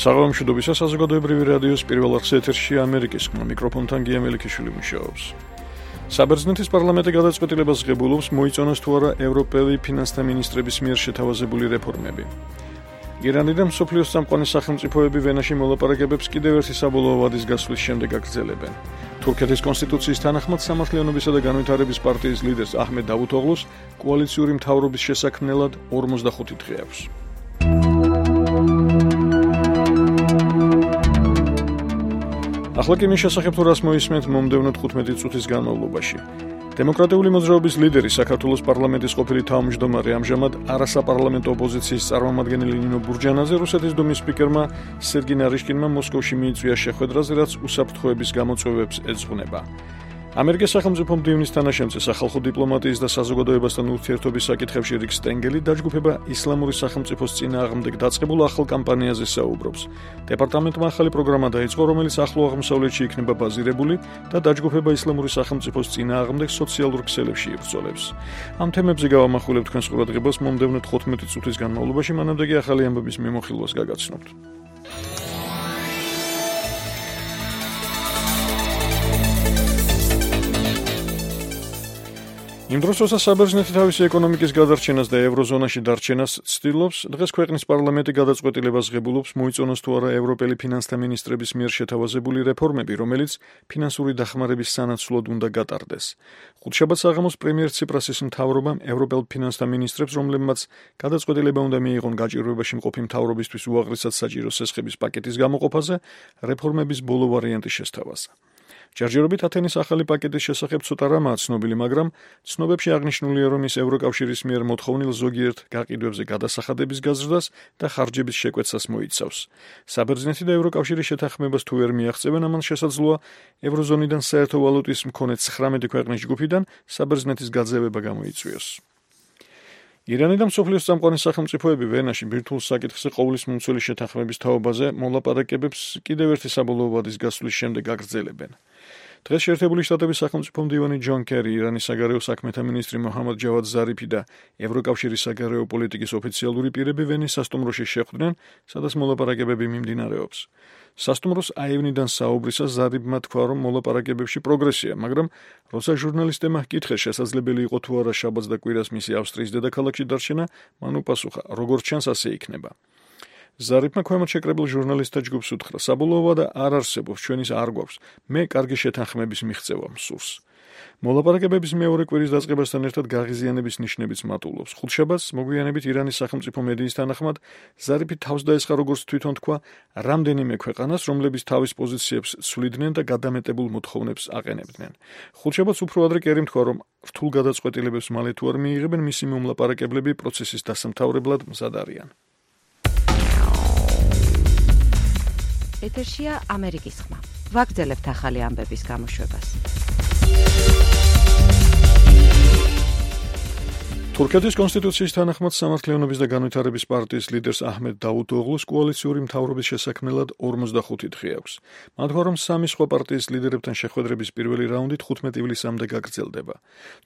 საღამომშვიდობისა საზოგადოებრივი რადიოს პირველ არხზე ეთერში ამერიკის ხმა მიკროფონთან გია მელიქიშვილი მუშაობს. საბერძნეთის პარლამენტი გადაწყვეტილებას ღებულობს მოიწონოს თუ არა ევროპელი ფინანსთა მინისტრების მიერ შეთავაზებული რეფორმები. ირანიდან მსოფლიოს წამყვანი სახელმწიფოები ვენაში მოლაპარაკებებს კიდევ ერთი საბოლოო ვადის გასვლის შემდეგ აგრძელებენ. თურქეთის კონსტიტუციის თანახმად სამართლიანობისა და განვითარების პარტიის ლიდერს აჰმედ დავუთოღლუს კოალიციური მთავრობის შესაქმნელად 45 დღე აქვს. ახლა კი მის შესახებ თუ რას მოისმენთ მომდევნო 15 წუთის განმავლობაში. დემოკრატიული მოძრაობის ლიდერი საქართველოს პარლამენტის ყოფილი თავმჯდომარე ამჟამად არასაპარლამენტო ოპოზიციის წარმომადგენელი ნინო ბურჯანაძე რუსეთის დუმის სპიკერმა სერგი ნარიშკინმა მოსკოვში მიიწვია შეხვედრაზე, რაც უსაფრთხოების გამოწვევებს ეძღვნება. ამერიკის სახელმწიფო მდივნის თანაშემწე სახალხო დიპლომატიის და საზოგადოებასთან ურთიერთობის საკითხებში რიკ სტენგელი დაჯგუფება ისლამური სახელმწიფოს წინააღმდეგ დაწყებულ ახალ კამპანიაზე საუბრობს. დეპარტამენტმა ახალი პროგრამა დაიწყო, რომელიც ახლო აღმოსავლეთში იქნება ბაზირებული და დაჯგუფება ისლამური სახელმწიფოს წინააღმდეგ სოციალურ ქსელებში იბრძოლებს. ამ თემებზე გავამახვილებ თქვენს ყურადღებას მომდევნო 15 წუთის განმავლობაში, მანამდე კი ახალი ამბების მიმოხილვას გაგაცნობთ. იმ დროს, როცა საბერძნეთი თავისი ეკონომიკის გადარჩენას და ევროზონაში დარჩენას ცდილობს, დღეს ქვეყნის პარლამენტი გადაწყვეტილებას ღებულობს მოიწონოს თუ არა ევროპელი ფინანსთა მინისტრების მიერ შეთავაზებული რეფორმები, რომელიც ფინანსური დახმარების სანაცვლოდ უნდა გატარდეს. ხუთშაბათ საღამოს პრემიერ ციპრასის მთავრობამ ევროპელ ფინანსთა მინისტრებს, რომლებმაც გადაწყვეტილება უნდა მიიღონ გაჭირვებაში მყოფი მთავრობისთვის უაღრესად საჭირო სესხების პაკეტის გამოყოფაზე, რეფორმების ბოლო ვარიანტი შესთავაზა. ჯერჯერობით ათენის ახალი პაკეტის შესახებ ცოტა რამაა ცნობილი, მაგრამ ცნობებში აღნიშნულია, რომ ის ევროკავშირის მიერ მოთხოვნილ ზოგიერთ გაყიდვებზე გადასახადების გაზრდას და ხარჯების შეკვეცას მოიცავს. საბერძნეთი და ევროკავშირის შეთანხმებას თუ ვერ მიაღწევენ, ამან შესაძლოა ევროზონიდან საერთო ვალუტის მქონე 19 ქვეყნის ჯგუფიდან საბერძნეთის გაძევება გამოიწვიოს. ირანი და მსოფლიოს წამყვანი სახელმწიფოები ვენაში ბირთვულ საკითხზე ყოვლის მომცველი შეთანხმების თაობაზე მოლაპარაკებებს კიდევ ერთი საბოლოო ვადის გასვლის შემდეგ აგრძელებენ. დღეს შეერთებული შტატების სახელმწიფო მდივანი ჯონ კერი, ირანის საგარეო საქმეთა მინისტრი მოჰამად ჯავად ზარიფი და ევროკავშირის საგარეო პოლიტიკის ოფიციალური პირები ვენის სასტუმროში შეხვდნენ, სადაც მოლაპარაკებები მიმდინარეობს. სასტუმროს აივნიდან საუბრისას ზარიფმა თქვა, რომ მოლაპარაკებებში პროგრესია, მაგრამ როცა ჟურნალისტებმა ჰკითხეს, შესაძლებელი იყო თუ არა შაბათს და კვირას მისი ავსტრიის დედაქალაქში დარჩენა, მან უპასუხა, როგორც ჩანს, ასე იქნება. ზარიფმა ქვემოთ შეკრებილ ჟურნალისტთა ჯგუფს უთხრა, საბოლოო ვადა არ არსებობს, ჩვენის არ გვაქვს, მე კარგი შეთანხმების მიღწევა მსურს. მოლაპარაკებების მეორე კვირის დაწყებასთან ერთად გაღიზიანების ნიშნებიც მატულობს. ხუთშაბათს მოგვიანებით ირანის სახელმწიფო მედიის თანახმად ზარიფი თავს დაესხა, როგორც თვითონ თქვა, რამდენიმე ქვეყანას, რომლებიც თავის პოზიციებს ცვლიდნენ და გადამეტებულ მოთხოვნებს აყენებდნენ. ხუთშაბათს უფრო ადრე კერიმ თქვა, რომ რთულ გადაწყვეტილებებს მალე თუ არ მიიღებენ, მისი მომლაპარაკებლები პროცესის დასამთავრებლად მზად არიან. ეთერშია ამერიკის ხმა. ვაგრძელებთ ახალი ამბების გამოშვებას. თურქეთის კონსტიტუციის თანახმად სამართლიანობის და განვითარების პარტიის ლიდერს აჰმედ დავუთოღლუს კოალიციური მთავრობის შესაქმნელად 45 დღე აქვს. მან თქვა, რომ სამი სხვა პარტიის ლიდერებთან შეხვედრების პირველი რაუნდი 15 ივლისამდე გაგრძელდება.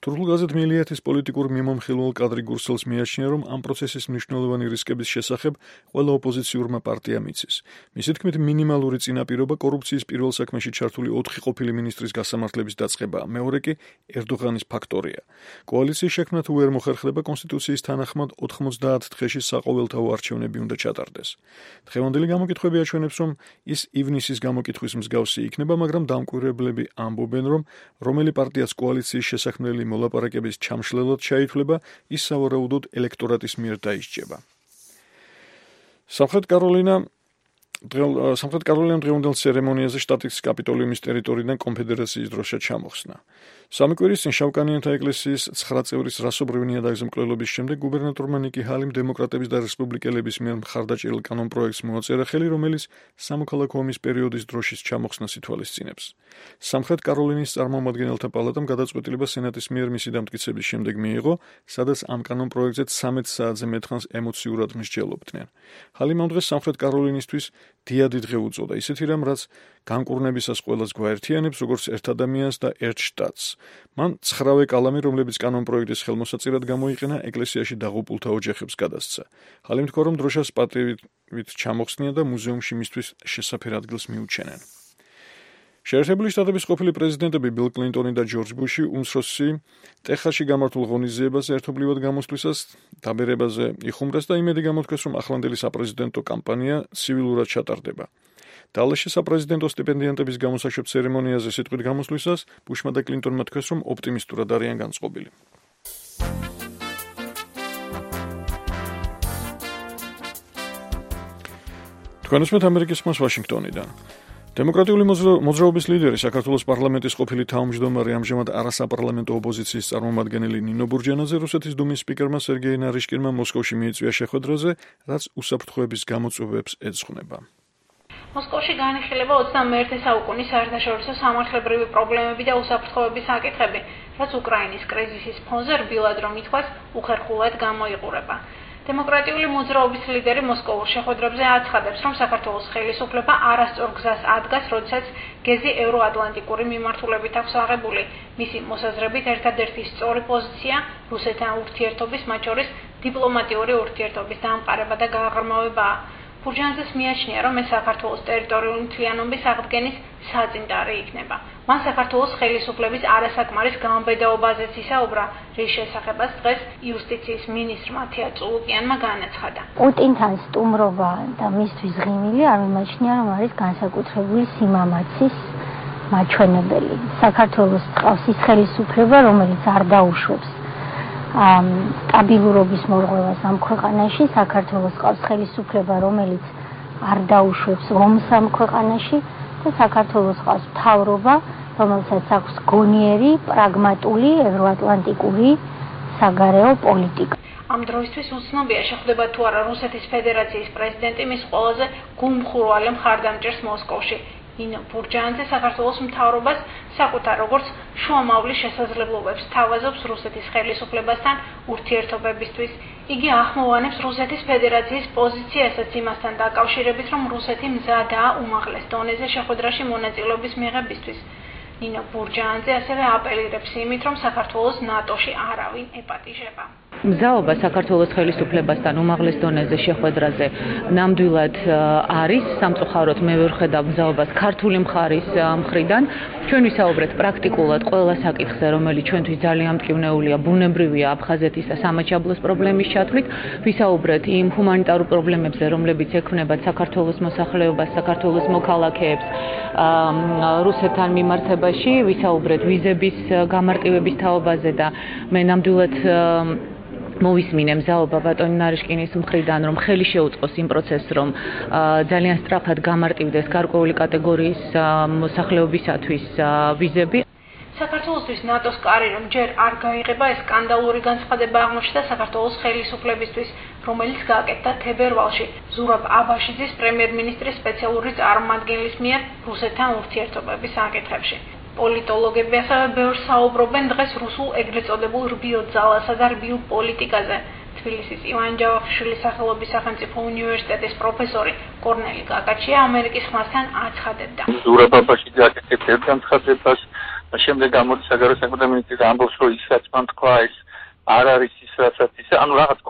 თურქულ გაზეთ მელიათის პოლიტიკურ მიმომხილველ კადრი გურსელს მიაჩნია, რომ ამ პროცესის მნიშვნელოვანი რისკების შესახებ ყველა ოპოზიციურმა პარტიამ იცის. მისი თქმით, მინიმალური წინაპირობა კორუფციის პირველ საქმეში ჩართული 4 ყოფილი მინისტრის გასამართლების დაწყებაა, მეორე კი ერდოღანის ფაქტორია. კოალიციის შექმნა თუ ვერ მოხერხდება კონსტიტუციის თანახმად 90 დღეში საყოველთაო არჩევნები უნდა ჩატარდეს. დღევანდელი გამოკითხვები აჩვენებს, რომ ის ივნისის გამოკითხვის მსგავსი იქნება, მაგრამ დამკვირვებლები ამბობენ, რომ რომელი პარტიაც კოალიციის შესაქმნელი მოლაპარაკების ჩამშლელად ჩაითვლება, ის სავარაუდოდ ელექტორატის მიერ დაისჯება. სამხრეთ კაროლინამ დღევანდელ ცერემონიაზე შტატის კაპიტოლიუმის ტერიტორიიდან კონფედერაციის დროშა ჩამოხსნა. სამი კვირის წინ შავკანიანთა ეკლესიის 9 წევრის რასობრივი ნიადაგზე მკვლელობის შემდეგ გუბერნატორმა ნიკი ჰალიმ დემოკრატების და რესპუბლიკელების მიერ მხარდაჭერილ კანონპროექტს მოაწერა ხელი, რომელიც სამოქალაქო ომის პერიოდის დროშის ჩამოხსნას ითვალისწინებს. სამხრეთ კაროლინის წარმომადგენელთა პალატამ გადაწყვეტილება სენატის მიერ მისი დამტკიცების შემდეგ მიიღო, სადაც ამ კანონპროექტზე 13 საათზე მეტხანს ემოციურად მსჯელობდნენ. ჰალიმ ამ დღეს სამხრეთ კაროლინისთვის დიადი დღე უწოდა, ისეთი რამ, რაც განკურნებისას ყველას გვაერთიანებს, როგორც ერთ ადამიანს და ერთ შტატს. მან 9 კალამი, რომლებიც კანონპროექტის ხელმოსაწირად გამოიყენა, ეკლესიაში დაღუპულთა ოჯახებს გადასცა. ხალი მთქვა, რომ დროშას პატივით ჩამოხსნიან და მუზეუმში მისთვის შესაფერ ადგილს მიუჩენენ. შეერთებული შტატების ყოფილი პრეზიდენტები ბილ კლინტონი და ჯორჯ ბუში უმცროსი ტეხასში გამართულ ღონისძიებაზე ერთობლივად გამოსვლისას დაბერებაზე იხუმრეს და იმედი გამოთქვეს, რომ ახლანდელი საპრეზიდენტო კამპანია ცივილურად ჩატარდება. დალასში საპრეზიდენტო სტიპენდიანტების გამოსაშვებ ცერემონიაზე სიტყვით გამოსვლისას ბუშმა და კლინტონმა თქვეს, რომ ოპტიმისტურად არიან განწყობილი. თქვენ უსმენთ ამერიკის ხმას ვაშინგტონიდან. დემოკრატიული მოძრაობის ლიდერი საქართველოს პარლამენტის ყოფილი თავმჯდომარე ამჟამად არასაპარლამენტო ოპოზიციის წარმომადგენელი ნინო ბურჯანაძე რუსეთის დუმის სპიკერმა სერგეი ნარიშკინმა მოსკოვში მიიწვია შეხვედრაზე, რაც უსაფრთხოების გამოწვევებს ეძღვნება. მოსკოვში განიხილება 21 საუკუნის საერთაშორისო სამართლებრივი პრობლემები და უსაფრთხოების საკითხები, რაც უკრაინის კრიზისის ფონზე რბილად რომ ითქვას, უხერხულად გამოიყურება. დემოკრატიული მოძრაობის ლიდერი მოსკოვურ შეხვედრებზე აცხადებს, რომ საქართველოს ხელისუფლება არასწორ გზას ადგას, როდესაც გეზი ევროატლანტიკური მიმართულებით აქვს აღებული. მისი მოსაზრებით ერთადერთი სწორი პოზიცია რუსეთთან ურთიერთობის, მათ შორის დიპლომატიური ურთიერთობის დამყარება და გააღრმავებაა. ბურჯანაძეს მიაჩნია, რომ ეს საქართველოს ტერიტორიული მთლიანობის აღდგენის საწინტარი იქნება. მან საქართველოს ხელისუფლების არასაკმარის გამბედაობაზეც ისაუბრა, რის შესახებაც დღეს იუსტიციის მინისტრ მათია წულუკიანმა განაცხადა. პუტინთან სტუმრობა და მისთვის ღიმილი არ მიმაჩნია, რომ არის განსაკუთრებული სიმამაცის მაჩვენებელი. საქართველოს ყავს ის ხელისუფლება, რომელიც არ დაუშვებს სტაბილურობის მორღვევას ამ ქვეყანაში, საქართველოს ყავს ხელისუფლება, რომელიც არ დაუშვებს ომს ამ ქვეყანაში და საქართველოს ყავს მთავრობა, რომელსაც აქვს გონიერი, პრაგმატული, ევროატლანტიკური საგარეო პოლიტიკა. ამ დროისთვის უცნობია, შეხვდება თუ არა რუსეთის ფედერაციის პრეზიდენტი მის ყველაზე გულმხურვალე მხარდამჭერს მოსკოვში. ნინო ბურჯანაძე საქართველოს მთავრობას საკუთარ როგორც შუამავლის შესაძლებლობებს თავაზობს რუსეთის ხელისუფლებასთან ურთიერთობებისთვის. იგი ახმოვანებს რუსეთის ფედერაციის პოზიციასაც იმასთან დაკავშირებით, რომ რუსეთი მზადაა უმაღლეს დონეზე შეხვედრაში მონაწილეობის მიღებისთვის. ნინო ბურჯანაძე ასევე აპელირებს იმით, რომ საქართველოს ნატოში არავინ ეპატიჟება. მზაობა საქართველოს ხელისუფლებასთან უმაღლეს დონეზე შეხვედრაზე ნამდვილად არის. სამწუხაროდ მე ვერ ხედავ მზაობას ქართული მხარის მხრიდან. ჩვენ ვისაუბრეთ პრაქტიკულად ყველა საკითხზე, რომელიც ჩვენთვის ძალიან მტკივნეულია, ბუნებრივია აფხაზეთის და სამაჩაბლოს პრობლემის ჩათვლით. ვისაუბრეთ იმ ჰუმანიტარულ პრობლემებზე, რომლებიც ექმნებათ საქართველოს მოსახლეობას, საქართველოს მოქალაქეებს რუსეთთან მიმართებაში. ვისაუბრეთ ვიზების გამარტივების თაობაზე და მე ნამდვილად მოვისმინე მზაობა ბატონი ნარიშკინის მხრიდან, რომ ხელი შეუწყოს იმ პროცესს, რომ ძალიან სწრაფად გამარტივდეს გარკვეული კატეგორიის მოსახლეობისათვის ვიზები. საქართველოსთვის ნატოს კარი რომ ჯერ არ გაიღება, ეს სკანდალური განცხადება აღმოჩნდა საქართველოს ხელისუფლებისთვის, რომელიც გააკეთა თებერვალში ზურაბ აბაშიძის პრემიერ-მინისტრის სპეციალური წარმომადგენლის მიერ რუსეთთან ურთიერთობების საკითხებში. პოლიტოლოგები ასევე ბევრს საუბრობენ დღეს რუსულ ეგრეთ წოდებულ რბილ ძალასა და რბილ პოლიტიკაზე. თბილისის ივან ჯავახიშვილის სახელობის სახელმწიფო უნივერსიტეტის პროფესორი კორნელი კაკაჩია ამერიკის ხმასთან აცხადებდა. ზურაბ აბაშიძე აკეთებს ერთ განცხადებას, შემდეგ გამოდის საგარეო საქმეთა მინისტრი ამბობს, რომ ის რაც მან თქვა, ეს არ არის ის რასაც ის, ანუ რაღაც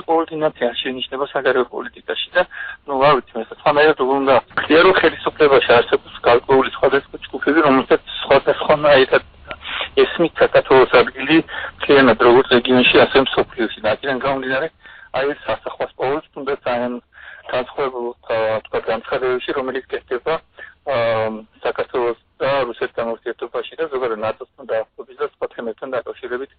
კოორდინაცია შენიშნება საგარეო პოლიტიკაში და არ ვიცი, მე სხვანაირად უნდა ხდია, რომ ხელისუფლებაში არსებობს გარკვეული სხვადასხვა ჯგუფები, რომელთაც სხვადასხვანაირად ესმით საქართველოს ადგილი მთლიანად როგორც რეგიონში, ასე მსოფლიოში. აქედან გამომდინარე, აი ეს სასახლას პოვებს, თუნდაც ძალიან განსხვავებულ განცხადებებში, რომელიც კეთდება საქართველოს და რუსეთთან ურთიერთობაში და ზოგადად ნატოსთან დაახლოებით და სხვა თემებთან დაკავშირებით,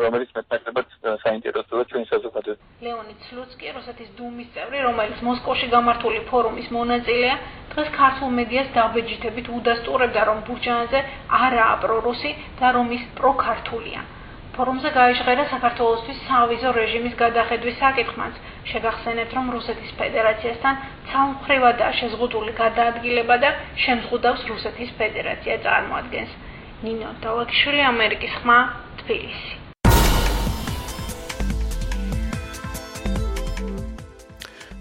რომელიც მეტნაკლებად საინტერესოა ჩვენი საზოგადოებისთვის. ლეონიდ სლუცკი, რუსეთის დუმის წევრი, რომელიც მოსკოვში გამართული ფორუმის მონაწილეა, დღეს ქართულ მედიას დაბეჯითებით udasturებდა, რომ ბურჯანაძე არაა პრორუსი და რომ ის პროქართულია. ფორუმზე გაიჟღერა საქართველოსთვის სავიზო რეჟიმის გადახედვის საკითხმაც. შეგახსენებთ, რომ რუსეთის ფედერაციასთან ცალმხრივადაა შეზღუდული გადაადგილება და შემზღუდავს რუსეთის ფედერაცია წარმოადგენს. ნინო დავაკიშვილი, ამერიკის ხმა, თბილისი.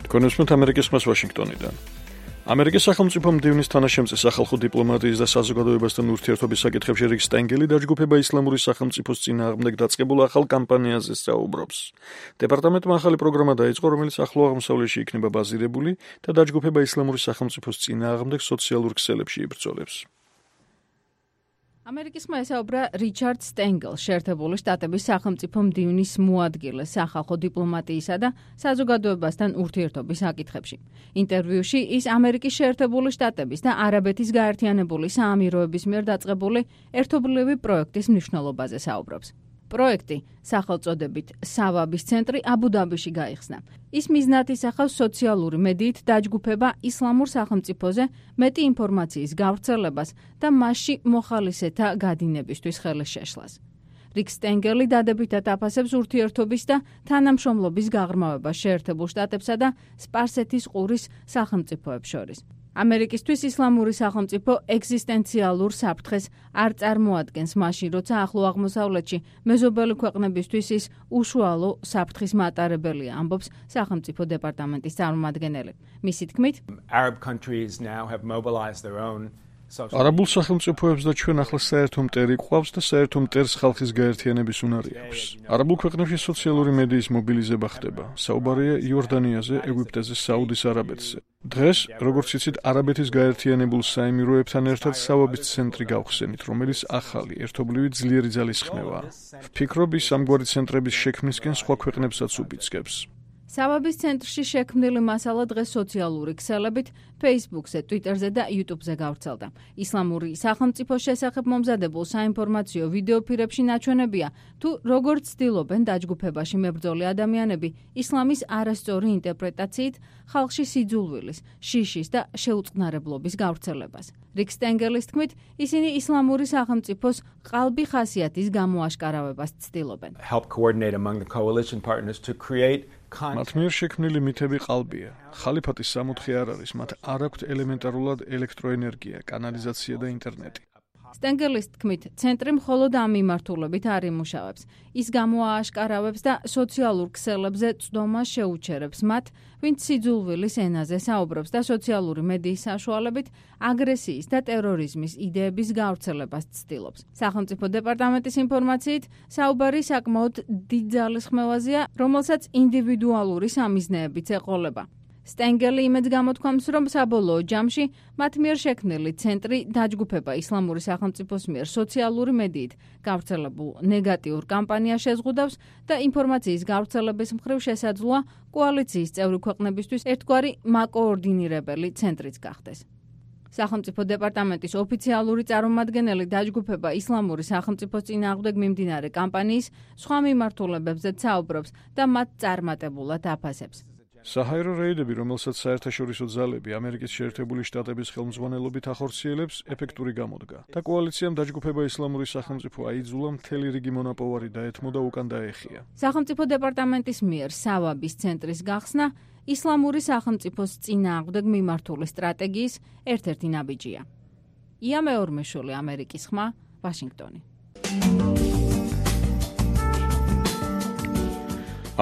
თქვენ უსმენთ ამერიკის ხმას ვაშინგტონიდან. ამერიკის სახელმწიფო მდივნის თანაშემწე სახალხო დიპლომატიის და საზოგადოებასთან ურთიერთობის საკითხებში რიკ სტენგელი დაჯგუფება ისლამური სახელმწიფოს წინააღმდეგ დაწყებულ ახალ კამპანიაზე საუბრობს. დეპარტამენტმა ახალი პროგრამა დაიწყო, რომელიც ახლო აღმოსავლეთში იქნება ბაზირებული და დაჯგუფება ისლამური სახელმწიფოს წინააღმდეგ სოციალურ ქსელებში იბრძოლებს. ამერიკისმა ესაუბრა რიჩარდ სტენგელს, შეერთებული შტატების სახელმწიფო მდივნის მოადგილეს სახალხო დიპლომატიისა და საზოგადოებასთან ურთიერთობის საკითხებში. ინტერვიუში ის ამერიკის შეერთებული შტატების და არაბეთის გაერთიანებული საამიროების მიერ დაწყებული ერთობლივი პროექტის მნიშვნელობაზე საუბრობს. პროექტი სახელწოდებით სავაბის ცენტრი აბუ-დაბიში გაიხსნა. ის მიზნად ისახავს სოციალური მედიით დაჯგუფება ისლამურ სახელმწიფოზე მეტი ინფორმაციის გავრცელებას და მასში მოხალისეთა გადინებისთვის ხელის შეშლას. რიკ სტენგელი დადებითად აფასებს ურთიერთობის და თანამშრომლობის გაღრმავებას შეერთებულ შტატებსა და სპარსეთის ყურის სახელმწიფოებს შორის. ამერიკისთვის ისლამური სახელმწიფო ეგზისტენციალურ საფრთხეს არ წარმოადგენს მაშინ, როცა ახლო აღმოსავლეთში მეზობელი ქვეყნებისთვის ის უშუალო საფრთხის მატარებელია, ამბობს სახელმწიფო დეპარტამენტის წარმომადგენელი. მისი თქმით, Arab countries now have mobilized their own არაბულ სახელმწიფოებს და ჩვენ ახლა საერთო მტერი გვყავს და საერთო მტერს ხალხის გაერთიანების უნარი აქვს. არაბულ ქვეყნებში სოციალური მედიის მობილიზება ხდება. საუბარია იორდანიაზე, ეგვიპტეზე, საუდის არაბეთზე. დღეს, როგორც იცით, არაბეთის გაერთიანებულ საამიროებთან ერთად სავაბის ცენტრი გავხსენით, რომელიც ახალი, ერთობლივი ძლიერი ძალისხმევაა. ვფიქრობ, ის ამგვარი ცენტრების შექმნისკენ სხვა ქვეყნებსაც უბიძგებს. სავაბის ცენტრში შექმნილი მასალა დღეს სოციალური ქსელებით Facebook-ზე, Twitter-ზე და YouTube-ზე გავრცელდა. ისლამური სახელმწიფოს შესახებ მომზადებულ საინფორმაციო ვიდეოფირებში ნაჩვენებია, თუ როგორც ცდილობენ დაჯგუფებაში მებრძოლი ადამიანები ისლამის არასწორი ინტერპრეტაციით ხალხში სიძულვილის, შიშის და შეუწყნარებლობის გავრცელებას. რიკ სტენგელის თქმით, ისინი ისლამური სახელმწიფოს ყალბი ხასიათის გამოაშკარავებას ცდილობენ. help coordinate among the coalition partners to create მათ მიერ შექმნილი მითები ყალბია. ხალიფატის სამოთხე არ არის, მათ არ აქვთ ელემენტარულად ელექტროენერგია, კანალიზაცია და ინტერნეტი. სტენგელის თქმით, ცენტრი მხოლოდ ამ მიმართულებით არ იმუშავებს. ის გამოააშკარავებს და სოციალურ ქსელებზე წვდომას შეუჩერებს მათ, ვინც სიძულვილის ენაზე საუბრობს და სოციალური მედიის საშუალებით აგრესიის და ტერორიზმის იდეების გავრცელებას ცდილობს. სახელმწიფო დეპარტამენტის ინფორმაციით, საუბარი საკმაოდ დიდ ძალისხმევაზეა, რომელსაც ინდივიდუალური სამიზნეებიც ეყოლება. სტენგელი იმედს გამოთქვამს, რომ საბოლოო ჯამში მათ მიერ შექმნილი ცენტრი დაჯგუფება ისლამური სახელმწიფოს მიერ სოციალური მედიით გავრცელებულ ნეგატიურ კამპანიას შეზღუდავს და ინფორმაციის გავრცელების მხრივ შესაძლოა კოალიციის წევრი ქვეყნებისთვის ერთგვარი მაკოორდინირებელი ცენტრიც გახდეს. სახელმწიფო დეპარტამენტის ოფიციალური წარმომადგენელი დაჯგუფება ისლამური სახელმწიფოს წინააღმდეგ მიმდინარე კამპანიის სხვა მიმართულებებზეც საუბრობს და მათ წარმატებულად აფასებს. საჰაერო რეიდები, რომელსაც საერთაშორისო ძალები ამერიკის შეერთებული შტატების ხელმძღვანელობით ახორციელებს, ეფექტური გამოდგა და კოალიციამ დაჯგუფება ისლამური სახელმწიფო აიძულა მთელი რიგი მონაპოვარი დაეთმო და უკან დაეხია. სახელმწიფო დეპარტამენტის მიერ სავაბის ცენტრის გახსნა ისლამური სახელმწიფოს წინააღმდეგ მიმართული სტრატეგიის ერთ-ერთი ნაბიჯია. ია მეორმეშვილი, ამერიკის ხმა, ვაშინგტონი.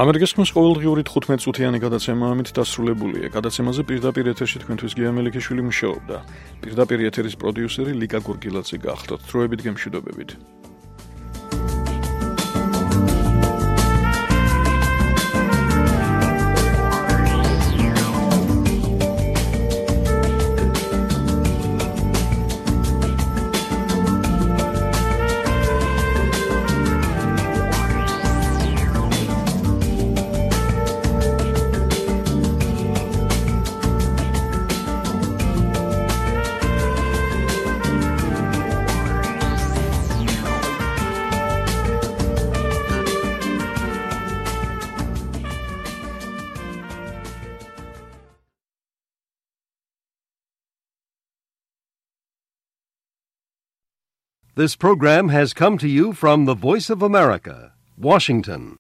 ამერიკის ხმის ყოველდღიური 15 წუთიანი გადაცემა ამით დასრულებულია. გადაცემაზე პირდაპირ ეთერში თქვენთვის გია მელიქიშვილი მუშაობდა. პირდაპირ ეთერის პროდიუსერი ლიკა გურგილაძე გახლდათ. დროებით გემშვიდობებით. This program has come to you from the Voice of America, Washington.